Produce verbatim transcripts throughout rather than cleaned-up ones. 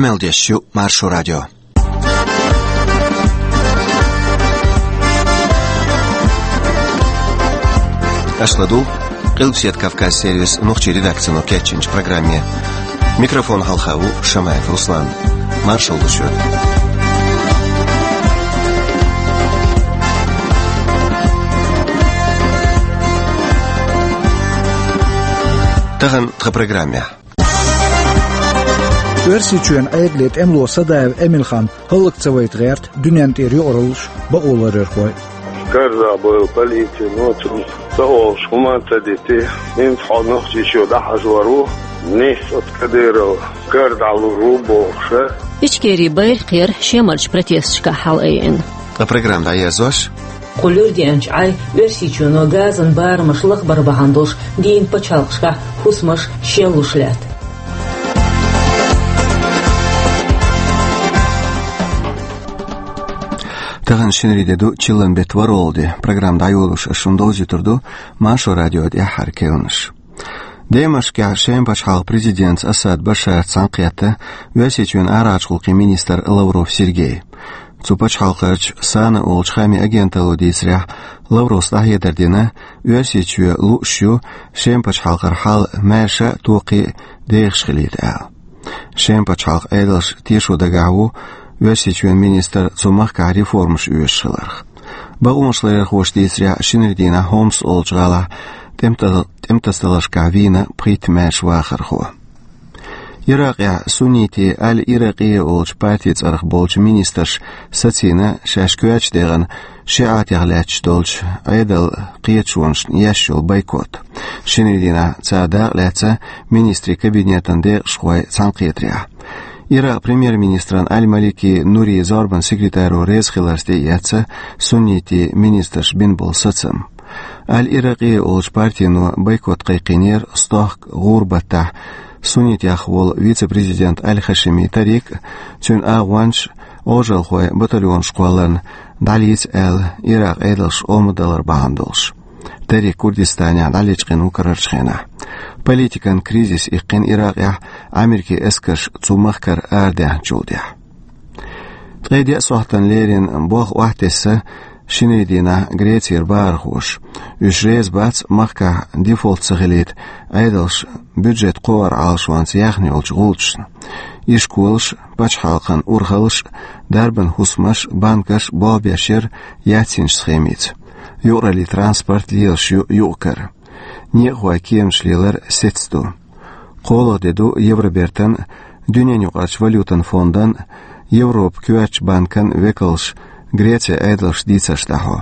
Мел деш ю Маршо радио. Аша ладугӀу Къилбаседа Кавказ сервисан нохчийн редакцино кечйинчу программе. Микрофона хьалха ву Шамаев Руслан. Маршалла ду шуьга. Тахана тхан программехь. Оьрсийчоьнан Ӏедале тӀемало Садаев Эмилхан хӀаллак ца вайта гӀерта дуьненна тӀера юкъараллаш, бакъоларъярхой. Карзахбойла полицино цунна ца олуш хӀума а ца дити, хӀинца хьо Нохчийчу дӀахьажор ву, нийсса оцу Кадыровн кара дӀалур ву бохуша. Ичкерин байракх яра Шемарчу протесташкахь хьалаайина. Ткъа программа дӀаерзош. Кху луьра деанчу Ӏай Оьрсийчоьно газан барамаш лахбар бахьана долуш дийна пачхьалкхашкахь хӀусамаш шеллуш лаьтта. Тахана шинарин де ду, чиллан беттан ворхӀалгӀа де. Программа дӀайолош ас шуна довзуьйтур ду Маршо радион тӀаьххьара керланаш. Демашкехь Шеман пачхьалкхан президентаца Асад Башарца цхьаьнакхетта Оьрсийчоьнан арахьарчу гӀуллакхийн министр Лавров Сергей. Цу пачхьалкхерчу САНА олучу хаамийн агенталло дийцарехь, Лавровс дӀахьедар дина, Оьрсийчоь лууш ю Шеман пачхьалкхара хьал маьрша а, токхе а дехаш хилийта аьлла. Шеман пачхьалкхан Ӏедалш тешо дагахь ву Оьрсийчоьнан министр цу махкахь реформаш оьшуш хиларх. Бакъонашларъярхоша дийцарехь, шинарин дийнахь Хомс олучу гӀалахь тӀемта-, тӀематасадаларшкахь вийна пхийтта маьрша вахархо. Иракъехь суннитийн Аль-Иракъия олучу партин цӀарах болчу министраша сацийна шаьш коьртачу декъана шиӀатех лаьтташ долчу Ӏедалан кхеташонашна еш йолу бойкот. Шинарин дийнахь цара дакъа лаьцна министрийн кабинетан декъашхой цхьаьнакхетарехь. Иракъан премьер-министран Аль-Малики Нурин зорбанан секретаро реза хиларца тӀеэцна суннитийн министраша бина болу сацам. Аль-Иракъия олучу партино бойкот кхайкхийнера стохка гӀуран баттахь суннитех волу вице-президент Аль-Хашими Тарик а, цуьнан агӀончаш а Ӏожалхойн батальонаш кхолларна дӀалийца аьлла, Иракъан Ӏедалша олма далар бахьана долуш. Тарик Курдистанехь дӀалечкъина ву карарчу хенахь. Политикан кризис иккхина Иракъехь, Америкин эскарш цу махкара арадаьхначул тӀаьхьа. Ткъе деа сохьтана леррина болх охьатесна шинарин дийнахь Грецера бахархоша. Уьш реза бац махкахь дефолт ца хилийта Ӏедалша бюджет кхоар Ӏалашонца яьхна йолчу гӀулчашна. Ишколаш, пачхьалкхан урхаллаш, дарбан хӀусамаш, банкаш болх беш яра яьцначу схемица. Юкъараллин транспорт лелаш ю юкъ-кара. Некъахойн кеманаш лелар сецна ду. КхоалгӀа де ду Евробертан, Дуьненан юкъарчу валютан фондан, Европан коьртачу банкан векалша Грецин Ӏедалша дийцарш дӀахьо.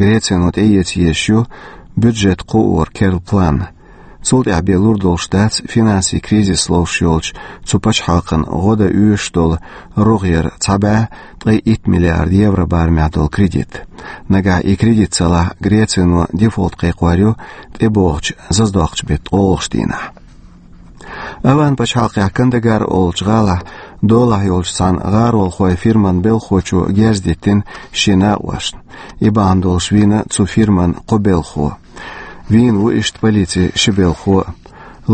Грецино тӀеэца езаш ю бюджет кхооран керла план. Цул тӀаьхьа бен лур долуш дац финансийн кризис ловш йолчу цу пачхьалкхана гӀо дан оьшуш долу рогӀера цхьа бӀе ткъе итт миллиард евро барамехь долу кредит. Нагахь и кредит ца лахь, Грецино дефолт кхайкхор ю тӀебогӀучу заздоккхучу беттан ткъолгӀачу дийнахь. Аван пачхьалкхехь Кандагар олучу гӀалахь долахь йолчу цхьана гӀаролхойн фирман белхахочо герз диттина шен накъошна. И бахьана долуш вийна цу фирман кхо белхахо. Вийна ву иштта полицин ши белхахо а.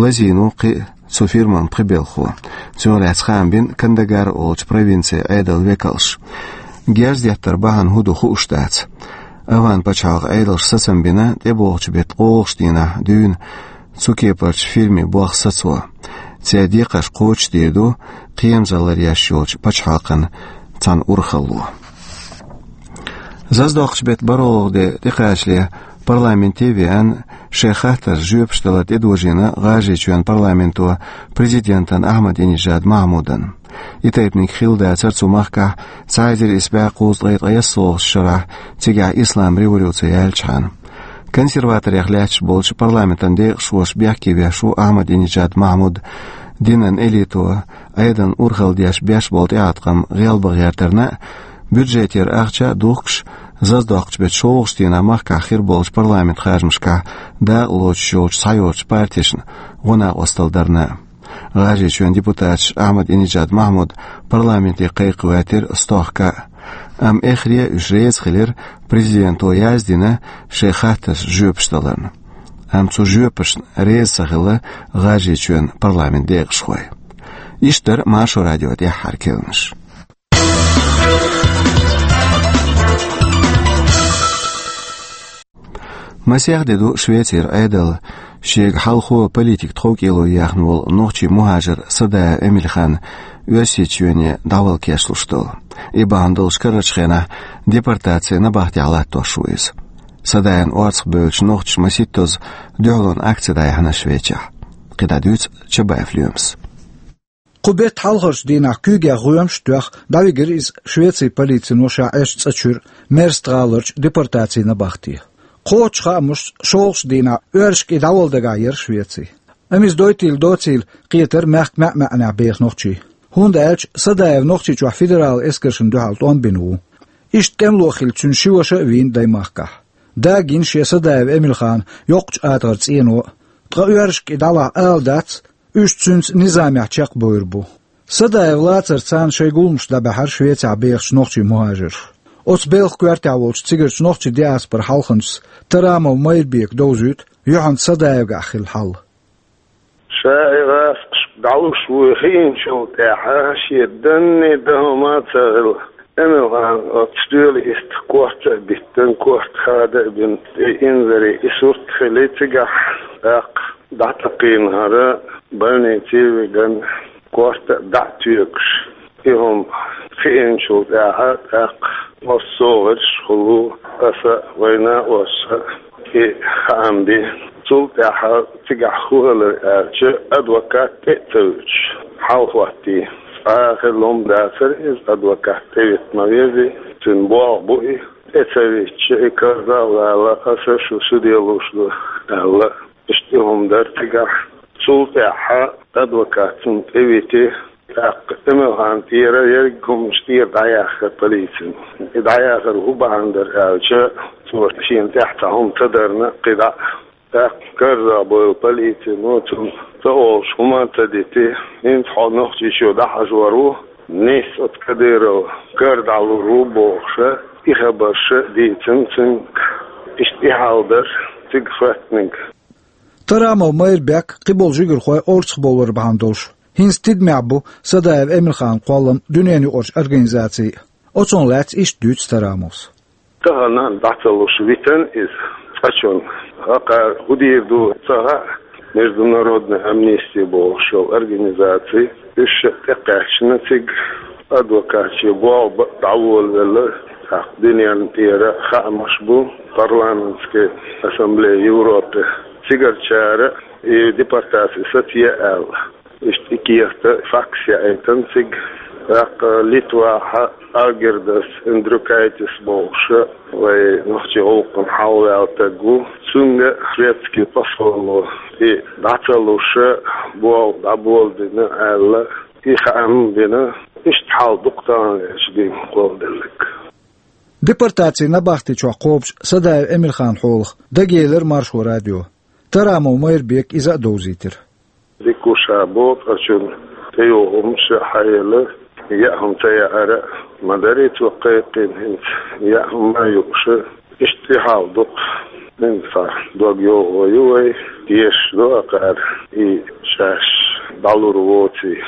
Лазийна ву кхин а цу фирман пхи белхахо. Цунах лаьцна хаам бина Кандагар олучу провинцин Ӏедалан векалша. Герз деттаран бахьана хӀун ду хууш дац. Аван пачхьалкхан Ӏедалша сацам бина тӀебогӀучу беттан ткъолгӀачу дийнахь дуьйна цу кепарчу фирмин болх сацо. Церан декхарш кхочушдийр ду кхерамзаллар еш йолчу пачхьалкхан цхьана урхалло. Заздоккхучу беттан бархӀалгӀа де тӀекхачале парламенте а веана, шайн хаттаршна жоьпаш далар тӀедожийна ГӀажарийчоьнан парламенто президентана Ахьмадинежад Махьмудана. И тайпаниг хилла дацара цу махкахь цхьа эзар исс бӀе кхузткъе ткъайоьсналгӀачу шарахь, цигахь ислам революци яьллачхьана. Консерваторех лаьтташ болчу парламентан декъашхоша бехке веш ву Ахьмадинежад Махьмуд, динан элито Ӏедална урхалла деш беш болу тӀеӀаткъам гӀелбан гӀертарна а, бюджетера ахча а духкуш, заздоккхучу беттан шолгӀачу дийнахь махкахь хир болчу парламентан харжамашкахь дакъа лоцуш йолчу цхьайолчу партешна гӀо-накъосталла дарна а. ГӀажарийчоьнан депутаташа Ахьмадинежад Махьмуд парламенте кхайкхаваьйтира стохка а. Амма эххар а уьш реза хилира президенто яздина шайн хаттаршна жоьпаш даларна. Амма цу жоьпашна реза ца хилла ГӀажарийчоьнан парламентан декъашхой. Иштта дара Маршо радион тӀаьххьара кхаьънаш. Масех де ду Швецера Ӏедал шега хьалхо политика тховкӀело яьхна волу нохчийн мухӀажар Садаев Эмилхан Оьрсийчоьне дӀавала кечлуш долу. И бахьана долуш карарчу хенахь депортацин набахтехь латтош ву иза. Садаевна орцахбевллачу нохчаша масийттазза дуьхьалонан акци дӀаяьхьна Швецехь. КхидӀа дуьйцу Чабаев Лоьмас. Кху беттан хьалхарчу дийнахь куьйгех гӀоьмаш а тоьхна, дӀавигира иза Швецин полицино ша Ӏеш цӀа чуьра Мерст гӀаларчу депортацин набахте. Кхоччуш хаамашца, шолгӀачу дийнахь оьрсашка и дӀавала дагахь яра Швеци. Амма иза дойтийла-доцийла кхетара мехкан маьӀ-маьӀӀехь беха нохчий. ХӀунда аьлча Садаев Нохчийчохь федералан эскаршна дуьхьал тӀом бина ву. Иштта тӀемало хилла цуьнан ши ваша а вийна даймахкахь. Да гина шен Садаев Эмилхана йоккхачу атагӀара цӀено а. Ткъа оьрсашка и дӀалахь ала дац, уьш цуьнца низамехь чекхбевр бу. Садаев лацар царна шайн гуламаш дӀабаьхьира Швецехь бехачу нохчийн мухӀажарша. Оцу белхан коьртехь волчу цигарчу нохчийн диаспоран хьалханчас Тарамов Майрбека довзуьйту юьхьанца Садаевгахь хилла хьал. Ша и гӀазкхашка дӀалуш вуй хиъначул тӀаьхьа, шен данне дан хӀума а ца хилла, Эмилхан оцу стоьла йиста корта а биттина, корта хада а бина, и инзаре и сурт хили цигахь, тӀаккха дӀатакхийнахьара больнице вигна, корта а дӀа а тоьгуш. И хӀума хиъначул тӀаьхьа, тӀаккха массо а гӀирсаш хуьлу, аса а, вайна а, оццу а и хаам бина. Цул тӀаьхьа цигахь хӀун хилира аьлча, адвокат тӀе а ца вуьтуш, хьал хӀоттий. Цкъа а хила хӀума дацара иза, адвокат тӀевитта ма везий, цуьнан болх бу и. ТӀе ца витча, и карзах а ваьлла, аса шу суде луш ду аьлла. Иштта и хӀума дара цигахь. Цул тӀаьхьа адвокат цунна тӀевити, тӀаккха Эмилхана тӀера ерриг хӀуманаш тӀера дӀаяьхира полицина. И дӀаяхар хӀун бахьана дара аьлча, цо шена тӀехь цхьа хӀума ца дарна кхидӀа а. ТӀаккха карзах бевлла полицино цунна ца олуш хӀума а ца дити, хӀинца хьо Нохчийчу дӀахьажор ву, нийсса оцу Кадыровн кара дӀалур ву бохуш а, и хабарш а дийцина цуьнга. Иштта и хьал дара цига хӀоьттинарг. Тарамов Майрбек, кхиболу жигархой орцахбовлар бахьана долуш, хӀинца тидамехь бу Садаев Эмилханан кхоллам дуьненаюкъарчу организацийн. Оцунах лаьцна иштта дуьйцу Тарамовс. Тахана дӀа ца луш витина иза цкъачунна. ХӀокхара хӀун дийр ду ца хаьа, Международная амнистия бохуш йолу организаци, уьш а тӀекхаьчна цига, адвокаташ болх бан дӀаволавелла, тӀаккха дуьненна тӀера хаамаш бу, парламентская ассамблея Европы, цигарчара и депортаци сацае аьлла. Иштта и кехат, факс яийтина цига, тӀаккха Литвахь Алгирдас Эндрюкайтис бохуш, вайн нохчийн гӀуллакхна хьалхаваьлла стаг ву, цуьнга шведский посоло и дӀа ца луш, болх дӀаболабина аьлла, и хаам бина, иштта хьал ду-кх таханлерчу дийнахь кхолладелларг. Депортацин набахти чохь кхобуш Садаев Эмилханан хьолах дагаелира Маршо радио. Тарамов Майрбека иза а довзийтира. Дика ву ша боху, ткъа цуьнан тӀейогӀу хӀумнаш а хьаелла, яа хӀума ца яара а ма дарий цо кхайкхийна хӀинца, яа хӀума а юуш а, иштта и хьал ду-кх. ХӀинца дог йогӀу ю вай, тешаш ду акхар, и шаьш дӀалур воций.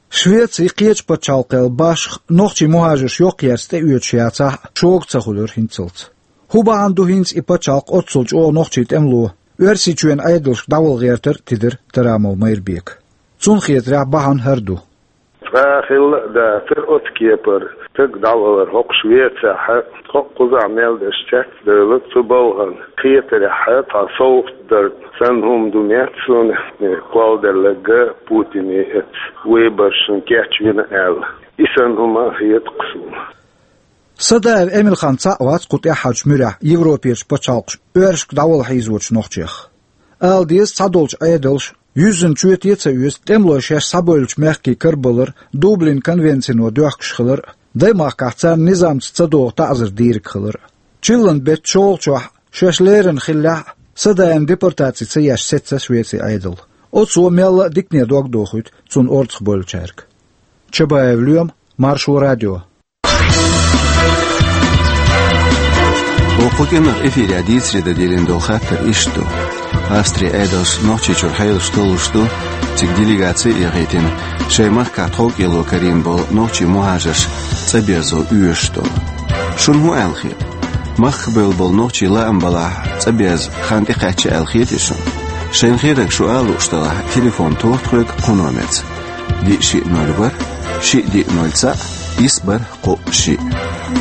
Швеци кхечу пачхьалкхел башха нохчийн мухӀажарш йоккхаерца тӀеоьцуш яцахь а, шога ца хуьлура хӀинццалц. ХӀун бахьана ду хӀинца и пачхьалкх оццул чӀогӀа нохчийн тӀемало Оьрсийчоьнан Ӏедалшка дӀавала гӀертар а тидира Тарамов Майрбека. Цунна хетарехь, бахьана хӀара ду. Цкъа а хилла а дацара оцу кепара стаг дӀавалар хӀокху Швецехь, тхо а кхузахь мел дерш цецдевлла цу балхана, кхетарехь, цхьа совгӀат дар санна хӀума ду моьтту суна, кхолладелларг Путине эцна выборшна кечвина аьлла. И санна хӀума а хета-кх суна. Садаев Эмилхан цхьаъ вац кху тӀаьххьарчу муьрехь Европерчу пачхьалкхаша оьрсашка дӀавала хьийзочу нохчех. Ала деза, цхьадолчу Ӏедалша, юьззина чоьте а ца оьцу, тӀемалой шаьш схьабевллачу мехкийн карабалар Дублин конвенцино доьхкуш хилар а, даймахкахь царна низамца ца догӀу таӀзар дийриг хилар а. Чиллан беттан шолгӀачохь, шаьш леррина хиллехь а, Садаевна депортаци ца еш сецна Швецин Ӏедал. Оцо мелла а дикане дог дохуьйту цунна орцахбевллачаьрга. Чабаев Лоьма, Маршо радио. Оха кху кӀиранах эфирехь дийцаре дан диллина долу хаттар иштта ду: Австрин Ӏедалша Нохчийчуьра хьелаш толлуш ду Цига делегаци а яхийтина, шайн махкахь тховкӀело карийна болу нохчий мухӀажарш цӀа берзо оьшуш долу. Шуна хӀун аьлла хета? Махкахь бевлла болу нохчий лаам балахь цӀа берза хан тӀекхаьчна аьлла хетий шуна? Шайн хетарг шу ала лууш далахь, телефон тоха тхоьга кху номерца: диъ шиъ ноль ворхӀ, шиъ диъ ноль цхьаъ, исс бархӀ кхоъ шиъ.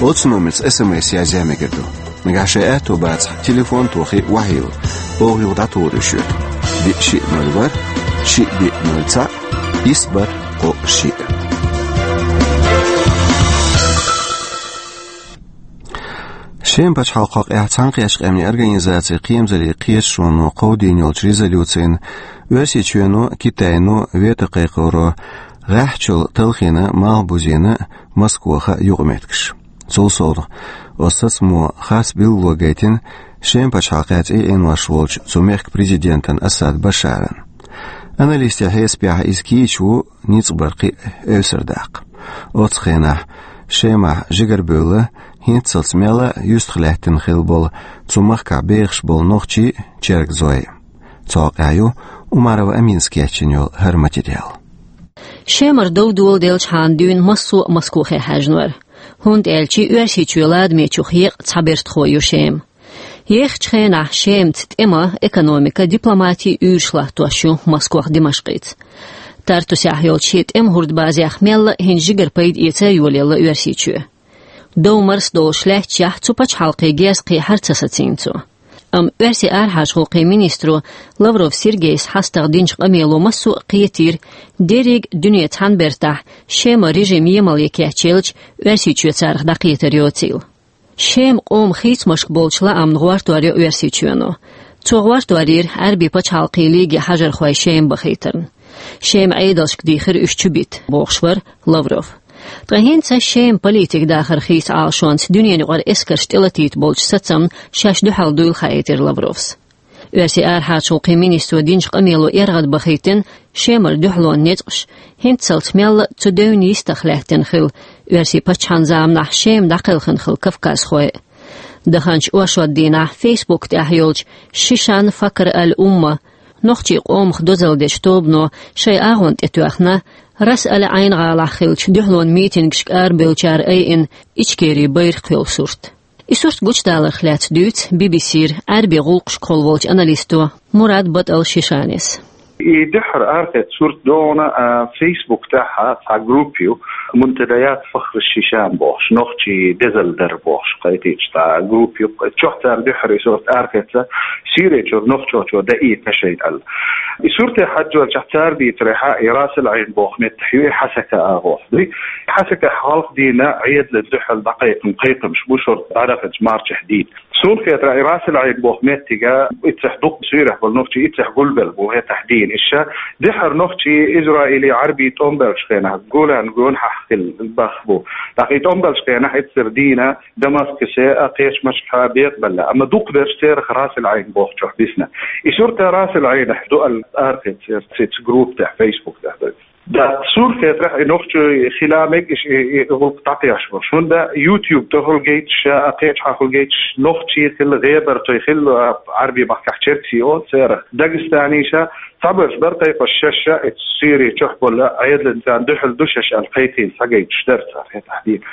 Оцу номерца СМС язъян мегар ду. Нагахь шайн аьтто бацахь, телефон тохий, охьайилла. Оха юха дӀатухур ю шуьга: диъ шиъ ноль ворхӀ, шиъ диъ ноль цхьаъ, исс бархӀ кхоъ шиъ. Шеман пачхьалкх-хьокъехь Цхьаьнакхеттачу Къаьмнийн Организацин Кхерамзаллин Кхеташоно кховдийна йолчу резолюцина Оьрсийчоьно, Китайно вето кхайкхоро гӀеххьачул талхийна, малх бузийна Москвахь юкъаметтигаш. Цул совнаха, оцу сацамо харц билгало гайтина Шеман пачхьалкхехь цӀий Ӏенош волчу цу мехкан президентан Асад Башаран. Аналистийн хьесапехь, иза кийча ву ницкъ баран кхин а эвсара даккха. Оцу хенахь Шемахь жигарбевлла, хӀинццалц мелла а юьстах лаьттина хилла болу цу махкахь бехаш болу нохчий а, чергзой а. Цу хьокъехь ю Умарова Аминас кечйина йолу хӀара материал. Шемара дов доладелчхьана дуьйна массо а Москвахь хьаьжнора, хӀунда аьлча Оьрсийчоь ладамечух екъа цхьаберстхо ю Шема. Ехачу хенахь Шемаца тӀеман, экономикан, дипломатин уьйраш латтош ю Москвахь Димашкъица. Тартусехь йолчу шен тӀеман хӀордан базех мелла а хӀинца жигара пайда эца а йолаелла Оьрсийчоь. Дов марс долуш лаьтташехь, цу пачхьалкхан герз кхехьар ца сацийна цо. Амма Оьрсийн арахьарчу гӀуллакхийн министро Лавров Сергейс хьастагӀа динчу къамело массо а кхетийра, дерриг а дуьне цхьана бертахь Шеман режим емал ян кечъелча, Оьрсийчоь царах дӀакхетар йоцийла. Шема къоман хийцамашка болчу лаамна гӀортор йо Оьрсийчоьно. Цо гӀортор йира Ӏаьрбийн пачхьалкхийн лигийн хьажархой Шема бахийтарна. Шеман Ӏедалшка дийхира уьш чубита, бохуш вара Лавров. Ткъа хӀинца Шеман политикан дахар хийца Ӏалашонца дуьненаюкъара эскарш тӀелатийта болчу сацамна шаьш дуьхьал дуйла хаийтира Лавровс. Оьрсийн арахьарчу гӀуллакхийн министро динчу къамело эргӀадбахийтина Шемара дуьхьалонан ницкъаш, хӀинццалц мелла а цу девнан йистах лаьттина хилла, Оьрсийн паччахьан заманахь Шема дӀакхелхина хилла кавказхой а. Даханчу оршот дийнахь Facebook тӀехь йолчу «Шишан Факр аль-Умма», нохчийн къомах дозалла дечу тобано шайн агӀонна тӀетоьхна Рас аль-Ӏайн гӀалахь хиллачу дуьхьалонан митингашка арабевллачара айина Ичкерин байракх йолу сурт. И сурт гучудаларх лаьцна дуьйцу Би-Би-Си-ра Ӏаьрбийн гӀуллакхашка холволчу аналисто Мурад БатӀал Шишанис. И дуьххьара арахецна сурт догӀна, а, Facebook тӀехь цхьа группа ю, «Мунтадаят Фахр Шишан» бохуш, нохчийн дезалдар бохуш, кхайтийча цхьа группа ю. Чохь цара дуьххьара и сурт арахецна, Сирийчуьра нохчочо даийта шайна аьлла. И сурте хьаьжжачохь цара дийцарехь, и Рас аль-Ӏайн боху меттехь ю, и Хьасака агӀо ду. Хьасака хьалха дийнахь Ӏедална дуьхьал дӀакхайкхина кхайкхамаш бу шуьра дӀадаханчу марчехь дийна. Суна хетарехь, и Рас аль-Ӏайн боху меттиг, иццехь дукха суьйрехь болу нохчий иццехь гулбелла бу хӀетахь дийна. Иштта дуьххьара нохчий Израилан, Ӏаьрбийн тӀом баьллачу хенахь Голан гонахьахь хилла баха бу. ТӀаккха и тӀом баьллачу хенахь эццара дийна Дамаскусе а, кхечу мачкахьа а бекъабелла. Амма дукхахберш церах Рас аль-Ӏайн бохучохь бисна. И сурт Рас аль-Ӏайнехь ду аьлла арахецна церан цу группа тӀехь, Facebook тӀехь. Да, суна хетарехь, и нохчий хила мега, и, и, и гӀуллакх дӀакхехьаш болуш. ХӀунда YouTube тӀехула гайташ а, кхечахьахула гайташ, нохчий хилла, гӀебартой хилла, а, Ӏаьрбийн махкахь черксий олу церах, дагестанцаш а, цхьаберш бара кхайкхош шаьш а, и Сирийчохь болу Ӏедална дуьхьал ду шаьш аьлла кхайкхийна схьагайташ дара цара хӀетахь дийна.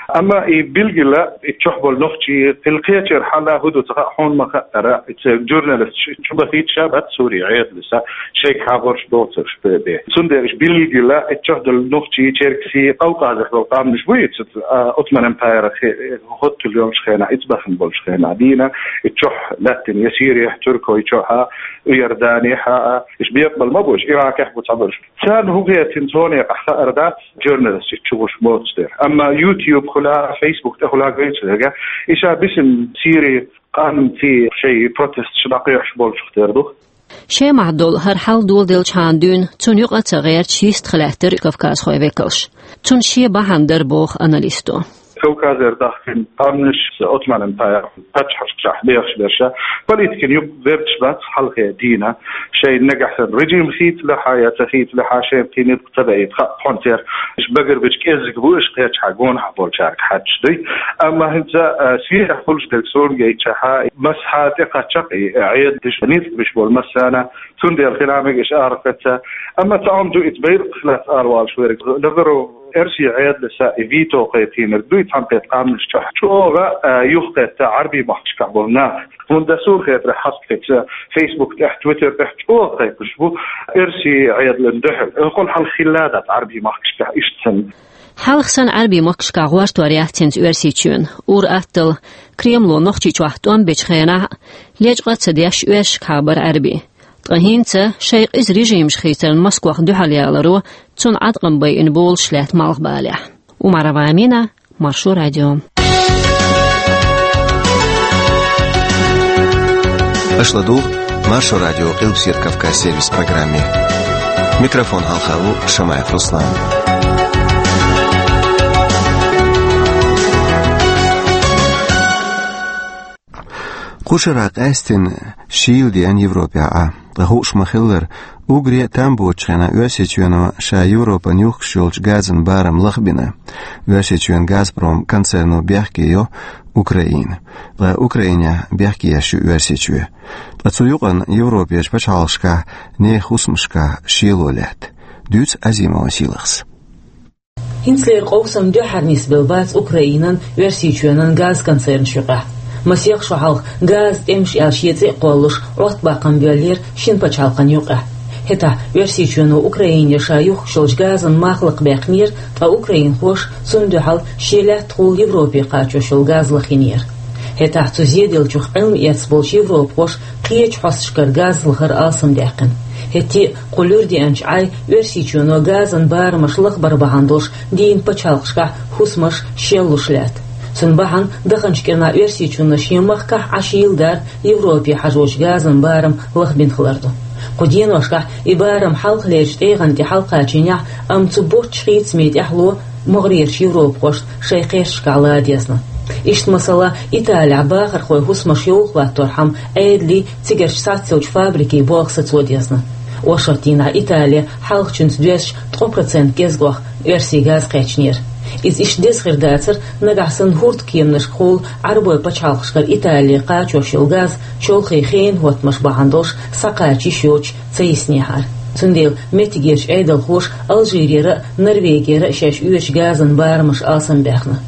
Амма и билггала, и чохь болу нохчий хилла, кхечеран хьал хӀун ду ца хаьа, хьуна ма-хаъара, и церан журналисташ чубахийташ а бац Сирин Ӏедалца, шайгахьа гӀорш доцурш бен. Цундела уьш билггала, и чохь долу нохчий, черксий, Къавкъазехь долу къаьмнаш бу, и цу, а, Ottoman Empire хи-, хӀоттийна йолчу хенахь, иза бахана болчу хенахь дийна, и чохь лаьттина я Сирехь, Туркойчохь а, Иорданехь а, уьш бекъабелла ма бу, уьш Иракехь бу цхьаберш. Царна хӀун хетарг цунах хаьар дац, журналисташ чу гӀуш моцуш дерг. Амма YouTube хуьлу, Facebook тӀехула гайташ дерг, и ша бисина Сирин къаьмнийн шайн протесташ дӀакхехьаш болчух тера ду. Шемахь долу хӀара хьал доладелчхьана дуьйна цунна юкъа а ца гӀерташ йистах лаьттира кавказхойн векалш. Цунна шен бахьана дара, боху аналисто. Кавказера дахкина къаьмнаш Отман империн паччахьалкхашкахь бехаш берш политикан юкъ верзаш бац хьалхе дийнахь. Шайн нагахь санна режим хийцалехь а, я ца хийцалехь а, шайна кхин ницкъ ца даийта хаа тхона тера. Уьш багарбича кӀеззиг бу уьш кхечахьа гонахьа болчаьрга хьаьжча дуй. Амма хӀинца, а, сийсара хуьлуш дерг суна гайчахьа, массахьа тӀекхаччалц и Ӏедалш ницкъ беш болу массарна, цундела хила мега уьш арахеца. Амма цхьа хӀума ду, иза байракх лаьцна араваьлларш верг. Лавров оьрсийн Ӏедалца и вето кхайкхийнарг дуй цхьана кхетта къаьмнаш чохь чӀогӀа, а, юхакхетта Ӏарбийн махкашкахь болу нах. ХӀунда аьлча суна хетарехь, хьаста хетча, Facebook тӀехь, Twitter тӀехь чӀогӀа кхайкхаш бу оьрсийн Ӏедална дуьхьал. Оцу хьалха хилла дац Ӏарбийн махкашкахь иштта санна. Хьалха санна Ӏарбийн махкашкахь гӀортор яц хӀинца Оьрсийчоьнан. Ур-атталла Кремло Нохчийчохь тӀом бечу хенахь а, лечкъа а ца деш, оьшшкахьа бара Ӏарбий. Ткъа хӀинца шайн къиза режимаш хийцарна Москох дуьхьал яларо, цунна Ӏаткъам байина болуш лаьтта Малхбалехь. Умарова Амина, Маршо радио. Аша ладугӀу Маршо радион Къилбаседа Кавказ сервисан программе. Микрофон хьалха ву Шамаев Руслан. Кху шарахь къаьстина шийла деана Европехь Ӏа. Ткъа хууш ма-хиллара, уггаре а там боцучу хенахь Оьрсийчоьно ша Европана юхкуш йолчу газан барам лахбина. Оьрсийчоьнан «Газпром» концерно бехке йо Украина. Ткъа Украинехь бехке еш ю Оьрсийчоь. Ткъа цу юкъана Европерчу пачхьалкхашкахь нехан хӀусамашкахь шело лаьтта. Дуьйцу Азимова Сийлахьас. ХӀинцалера къовсам дуьххьара нисбелла бац Украинан, Оьрсийчоьнан газ концернаш юкъахь. Масех шо хьалха газан тӀемаш аьлла шен цӀе а кхоллуш, Ӏоттабаккхам боьллера шина пачхьалкхан юкъахь. ХӀетахь Оьрсийчоьно Украине ша юхкуш йолчу газан мах лакхабаьккхинера, ткъа украинхоша цунна дуьхьал шен лаьтта гӀуллакх Европе кхачош йолу газ лахийнера. ХӀетахь цу зеделлачух Ӏилма эцна болчу европахоша кхечу хьосташкара газ лахар алсамдаьккхина. ХӀетте а кху луьра деанчу Ӏай Оьрсийчоьно газан барамаш лахбар бахьана долуш дийна пачхьалкхашкахь хӀусамаш шеллуш лаьтта. Цуьнан бахьана даханчу кӀирнахь Оьрсийчоьно шен махкахь Ӏаш йийла дара Европе хьажочу газан барам лахбина хилар ду. Кху деношкахь и барам хьалхалерчу тӀегӀан тӀе хьалакхачийнехь, амма цу боцчу хийцаме тӀаьхьало могӀарерчу европахошна шайн кхерчашкахь лан дезна. Иштта, масала, Италехь бахархойн хӀусамаш йовха хӀотторхьама Ӏедалан, цигарчу саццалчу фабрикийн болх сацо дезна. Оршот дийнахь Итале хьалхачуьнца доьзначу ткъа процент кӀезгох оьрсийн газ кхаьчнера. Иза иштта деза хир дацара, нагахь санна хӀордкеманашкахула Ӏарбойн пачхьалкхашкара Итале кхачош йолу газ чолхе хенан хӀоттамаш бахьана долуш схьакхача йиш йоцуш ца йиснехьара. Цундела меттигерчу Ӏедалхоша Алжирера а, Норвегера а шаьш оьцучу газан барамаш алсамбаьхна.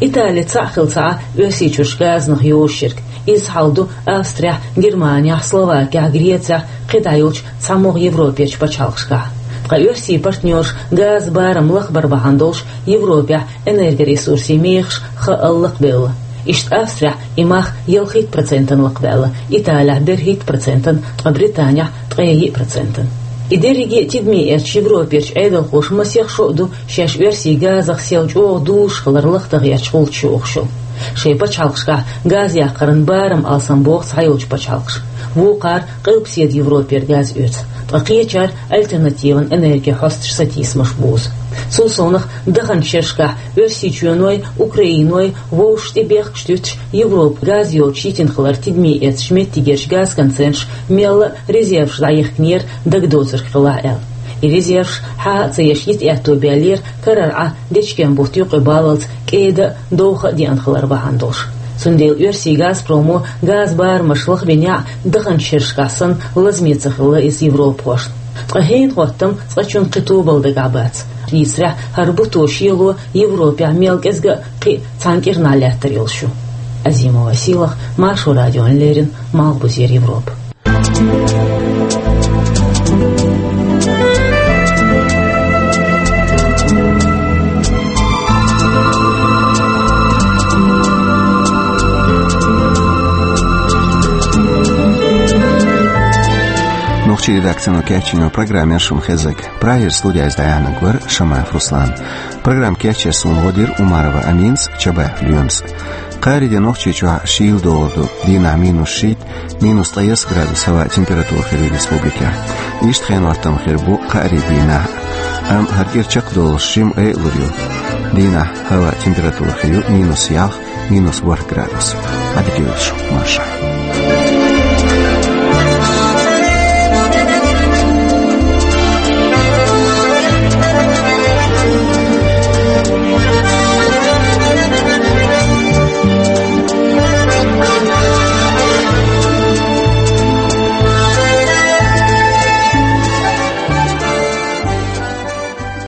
Итали цхьаъ хилла ца Ӏа Оьрсийчуьрчу газанах йозуш ерг. Изза хьал ду Австрехь, Германехь, Словакехь, Грецехь, кхидӀа йолчу цхьамогӀа европерчу пачхьалкхашкахь. Ткъа оьрсийн партнерша газан барам лахбар бахьана долуш Европехь энергоресурсийн мехаш хаъал лакхабевлла. Иштта Австрехь и мах ялхитта процентана лакхаваьлла, Италехь берхӀитта процентана, ткъа Британехь ткъе йиъ процентана. И дерриге а тидаме эцча, европерчу Ӏедалхоша масех шо а ду шаьш оьрсийн газах сел чӀогӀа дузуш хилар лахдаха гӀерташ гӀулчаш йохуш йолу. Шайн пачхьалкхашкахь газ яккхаран барам алсамбоху цхьайолчу пачхьалкхаша. Вукхара Къилбаседа Европера газ оьцу, ткъа кхечара альтернативан энерги хьосташ сатийсамаш бузу. Цул совнаха, даханчу шерашкахь Оьрсийчоьной, Украиной вовшашна тӀе бехкаш дуьтуш, Европа газ йолчу йитина хилар тидаме эцначу меттигерчу газконцернаша мелла а резерваш дӀайихкинера, дагадоцург хилахь аьлла. И резерваш хьа а ца еш йита аьтто баьллера карара Ӏа дечкен бутт юккъе баллалц кӀеда а, довха а деана хилар бахьана долуш. Цундела оьрсийн «Газпромо» газан барамаш лахбинехь а, даханчу шерашкахь санна, лазаме ца хилла иза европахошна. Ткъа хенан хӀоттам цкъачунна кхин тобалла дагахь бац. Дийцарехь, хӀара бутто шело Европехь мел кӀезга а кхин а цхьана кӀирнахь лаьттар йолуш ю. Азимова Сийлахь, Маршо радиона леррина, Малхбузера Европа. Нохчийн редакцино кечйина программа шуна хезаг. Прагера студехь дӀаяьхьнарг вара Шамаев Руслан. Программа кечъеш суна гӀо дира Умарова Аминас, Чабаев Лоьмас. Кхаарин де Нохчийчохь шийла догӀур ду, дийнахь минус шийтта, минус ткъайесна градус хӀаваан температура хир ю республикехь. Иштта хенан хӀоттам хир бу кхаарин дийнахь а. Амма хӀара кӀира чекхдолуш жимма айалур ю. Дийнахьа хӀаваан температура хила ю минус ялх, минус ворхӀ градус. Ӏадика йойла шун, марша.